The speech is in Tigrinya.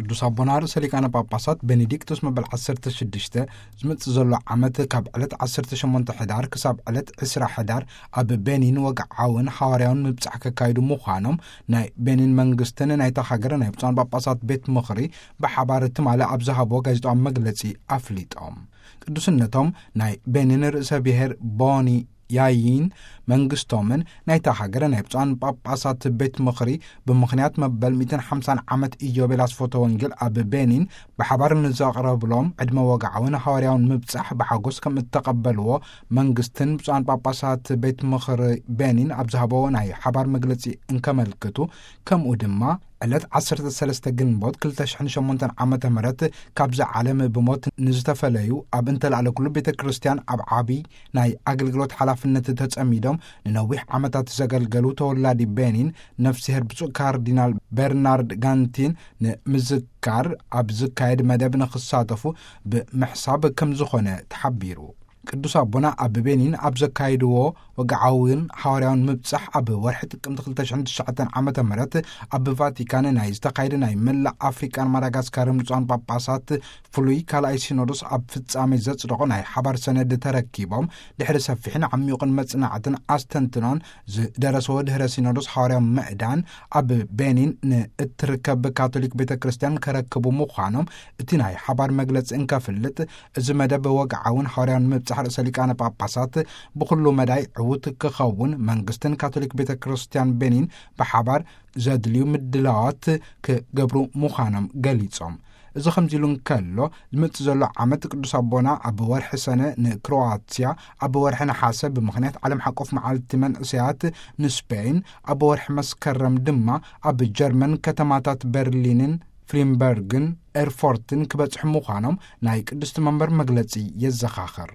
ቅዱስ ኣቦና ርእሰ ሊቃነ ጳጳሳት ቤኔዲክቶስ መበል ዓሰርተ ሽዱሽተ ዝመጽእ ዘሎ ዓመት ካብ ዕለት ዓሰርተ ሸሞንተ ሕዳር ክሳብ ዕለት ዕስራ ሕዳር ኣብ ቤኒን ወግዓውን ሓዋርያውን ምብጻሕ ከካይዱ ምዃኖም ናይ ቤኒን መንግስትን ናይታ ሃገር ናይ ብፁዓን ጳጳሳት ቤት ምኽሪ ብሓባር ትማሊ ኣብ ዝሃብዎ ጋዜጣዊ መግለጺ ኣፍሊጦም። ቅዱስነቶም ናይ ቤኒን ርእሰ ብሔር ቦኒ ያይን መንግስቶምን ናይታ ሃገር ናይ ብፁዓን ጳጳሳት ቤት ምኽሪ ብምኽንያት መበል ሚእትን ሓምሳን ዓመት ኢዮቤል ኣስፎተ ወንጌል ኣብ ቤኒን ብሓባር ንዘቕረብሎም ዕድመ ወግዓውን ሃዋርያውን ምብጻሕ ብሓጎስ ከም እተቐበልዎ መንግስትን ብፁዓን ጳጳሳት ቤት ምኽሪ ቤኒን ኣብ ዝሃበዎ ናይ ሓባር መግለጺ እንከመልክቱ፣ ከምኡ ድማ ዕለት ዓሰርተ ሰለስተ ግንቦት ክልተ ሽሕን ሸሞንተን ዓመተ ምህረት ካብዛ ዓለም ብሞት ንዝተፈለዩ ኣብ እንተላዕለ ኩሉ ቤተ ክርስቲያን ኣብ ዓቢ ናይ ኣገልግሎት ሓላፍነት ተጸሚዶም ንነዊሕ ዓመታት ዘገልገሉ ተወላዲ ቤኒን ነፍስሄር ብፁዕ ካርዲናል በርናርድ ጋንቲን ንምዝካር ኣብ ዝካየድ መደብ ንኽሳተፉ ብምሕሳብ ከም ዝኾነ ተሓቢሩ። ቅዱስ ኣቦና ኣብ ቤኒን ኣብ ዘካየድዎ ወግዓውን ሓዋርያውን ምብጻሕ ኣብ ወርሒ ጥቅምቲ ክልተ ሽሕን ትሽዓተን ዓመተ ምህረት ኣብ ቫቲካን ናይ ዝተኻየደ ናይ መላእ ኣፍሪቃን ማዳጋስካርን ብፁዓን ጳጳሳት ፍሉይ ካልኣይ ሲኖዶስ ኣብ ፍጻሜ ዘጽደቖ ናይ ሓባር ሰነድ ተረኪቦም ድሕሪ ሰፊሕን ዓሚቑን መጽናዕትን ኣስተንትኖን ዝደረሰዎ ድሕረ ሲኖዶስ ሓዋርያዊ ምዕዳን ኣብ ቤኒን ንእትርከብ ካቶሊክ ቤተ ክርስቲያን ከረክቡ ምዃኖም እቲ ናይ ሓባር መግለጺ እንከፍልጥ፣ እዚ መደብ ወግዓውን ሓዋርያውን ምብጻሕ ርእሰ ሊቃነ ጳጳሳት ብኹሉ መዳይ ዕዉት ክኸውን መንግስትን ካቶሊክ ቤተ ክርስቲያን ቤኒን ብሓባር ዘድልዩ ምድላዋት ክገብሩ ምዃኖም ገሊጾም። እዚ ከምዚ ኢሉ እንከሎ፣ ዝመጽእ ዘሎ ዓመት ቅዱስ ኣቦና ኣብ ወርሒ ሰነ ንክሮዋትያ፣ ኣብ ወርሒ ነሓሰ ብምኽንያት ዓለም ሓቆፍ መዓልቲ መንእሰያት ንስፔን፣ ኣብ ወርሒ መስከረም ድማ ኣብ ጀርመን ከተማታት በርሊንን ፍሪምበርግን ኤርፎርትን ክበጽሑ ምዃኖም ናይ ቅድስቲ መንበር መግለጺ የዘኻኽር።